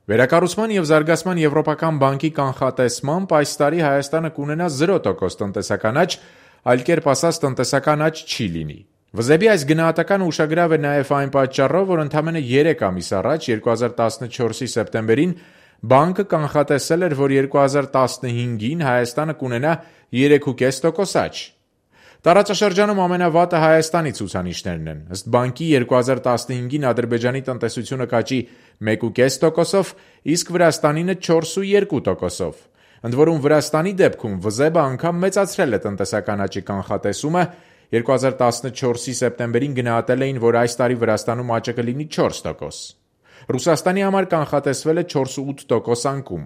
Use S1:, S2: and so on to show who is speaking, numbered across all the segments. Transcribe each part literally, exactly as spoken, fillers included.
S1: Վերակառուցման և զարգացման Եվրոպական բանկի կանխատեսմամբ այս տարի Հայաստանը կունենա զիրո տոկոս տնտեսական աճ, այլ կերպ ասած տնտեսական աճ չի լինի։ Վզեբի այս գնահատականը ուշագրավ է նաև այն պատճառով, որ ընդամենը երեք ամիս առաջ երկու հազար տասնչորսի սեպտեմբերին բանկը կանխատեսել էր, որ երկու հազար տասնհինգին Հայաստանը կունենա երեք կόμμα պենս տոկոս աճ։ Տարածաշրջանում ամենավատը Հայաստանի ցուցանիշներն են։ Ըստ բանկի երկու հազար տասնհինգին Ադրբեջանի տնտեսությունը կաճի մեկ կόμμα պենս տոկոսով, իսկ Վրաստանինը չորս կόμma երկու տոկոսով։ Ընդ որում Վրաստանի դեպքում Վզեբը անգամ մեծացրել է տնտեսական աճի կանխատեսումը, երկու հազար տասնչորսի սեպտեմբերին գնահատել էին, որ այս տարի Վրաստանում աճը կլինի չորս տոկոս։ Ռուսաստանի համար կանխատեսվել է չորս կόμμα ութ տոկոս անկում։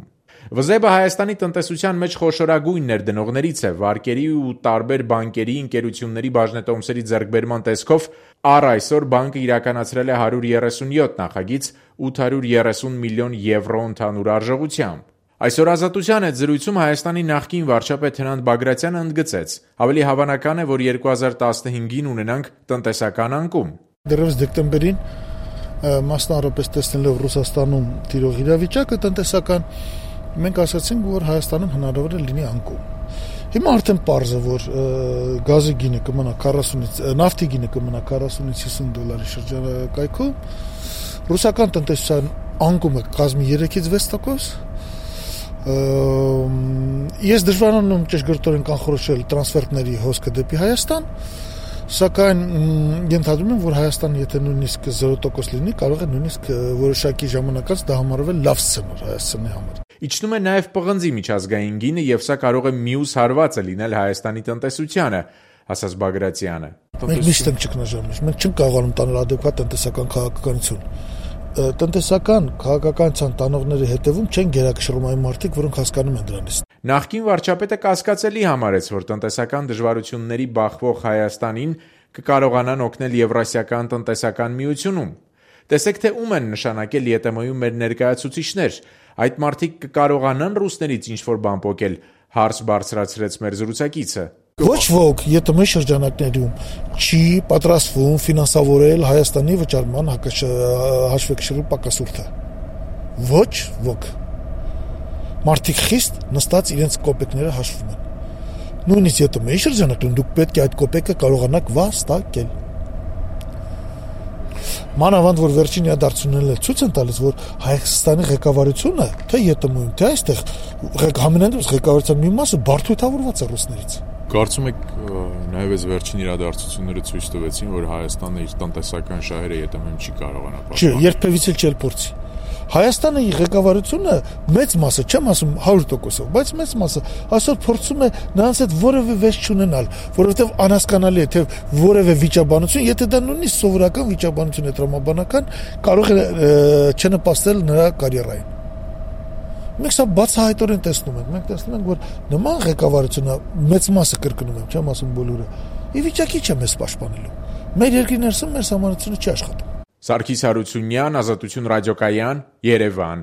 S1: Վզեբը Հայաստանի տնտեսության մեջ խոշորագույն ներդնողներից է, վարկերի ու տարբեր բանկերի ընկերությունների բաժնետոմսերի ձեռքբերման տեսքով առ այսօր բանկը իրականացրել է հարյուր երեսունյոթ նախագիծ ութ հարյուր երեսուն միլիոն եվրո ընդհանուր արժողությամբ։ Այսօր Ազատության հետ զրույցում Հայաստանի նախկին վարչապետ Հրանտ Բագրատյանը ընդգծեց. ավելի հավանական է, որ երկու հազար տասնհինգին ունենանք տնտեսական անկում։
S2: Դեռևս դեկտեմբերին մասնավորապես տեսնելով Ռուսաստանում տիրող իրավիճակը տնտեսական, մենք ասացինք, որ Հայաստանում հնարավոր է լինի անկում։ Հիմա արդեն պարզ է, որ գազի գինը կմնա քառասունից, նավթի գինը կմնա քառասունից հիսուն դոլարի շրջանակայքում, ռուսական տնտեսության անկումը կազմի երեքից վեց տոկոս։ Ես դժվարանում ճշգրտորեն կանխորոշել տրանսֆերտների հոսքը դեպի Հայաստան, սակայն ենթադրում եմ, որ Հայաստանը եթե նույնիսկ զիրո տոկոս լինի, կարող է նույնիսկ որոշակի ժամանակ անց դա համարվել լավ սցենար Հայաստանի համար։
S1: Իջնում է նաև պղնձի միջազգային գինը, եւ սա կարող է մյուս հարվածը լինել Հայաստանի տնտեսությանը, ասաց Բագրատյանը։
S2: Մենք միշտ ենք ճգնաժամի, մենք չենք կարողանում տանել ադեկվատ տնտեսական քաղաքականություն։ Տնտեսական քաղաքականության տանողների հետևում չեն գերակշռում այն մարդիկ, որոնք հասկանում են դրանից։
S1: Նախկին վարչապետը կասկածելի համարեց, որ տնտեսական դժվարությունների բախվող Հայաստանին կկարողանան օգնել Եվրասիական տնտեսական միությունում։ Տեսեք, թե ում են նշանակել ԵՏՄ-ում մեր ներկայացուցիչներ։ Այդ մարդիկ կկարողանան ռուսներից ինչ-որ բան պոկել, հարց բարձրացրեց մեր զրուցակիցը։
S2: Ոչ ոք ԵՏՄ շրջանակներում չի պատրաստվում ֆինանսավորել Հայաստանի վճարման հաշվեկշռու պակասուրդը։ Ոչ ոք։ Մարդիկ խիստ նստած իրենց կոպեկները հաշվում են։ Նույնիսկ ԵՏՄ-ի շրջանակում դուք պետք է այդ կոպեկը կարողանաք վաստակել։ Մանավանդ որ վերջին իրադարձություններն էլ ցույց են տալիս, որ Հայաստանի ղեկավարությունը, թե ԵՏՄ-ում, թե այստեղ համենայնդեպս ղեկավարության մի մասը բարդույթավորված է ռուսներից։
S1: Կարծում եք նաև այս վերջին իրադարձությունները ցույց տվեցին, որ Հայաստանը իր տնտեսական շահերը ԵՏՄ-ում չի կարողանա պահպանել։
S2: Չէ, երբևիցե չի փորձի։ Հայաստանի ղեկավարությունը մեծ մասը, չեմ ասում հարյուր տոկոսով, բայց մեծ մասը այսօր փորձում է նրանց հետ որևէ վեճ չունենալ, որովհետև անհասկանալի է, թե որևէ վիճաբանություն, եթե դա նույնիսկ սովորական վիճաբանություն է տրամաբանական, կարող է չնպաստել նրա կարիերային։ Մենք սա բացահայտորեն տեսնում ենք, մենք տեսնում ենք, որ նման ղեկավարությունը մեծ մասը կրկնում եմ, չեմ ասում բոլորը, ի վիճակի չէ մեզ պաշտպանելու։ Մեր երկրի ներսում մեր համանրությունը չի աշխատում։
S1: Սարգիս Հարությունյան, Ազատություն ռադիոկայան, Երևան։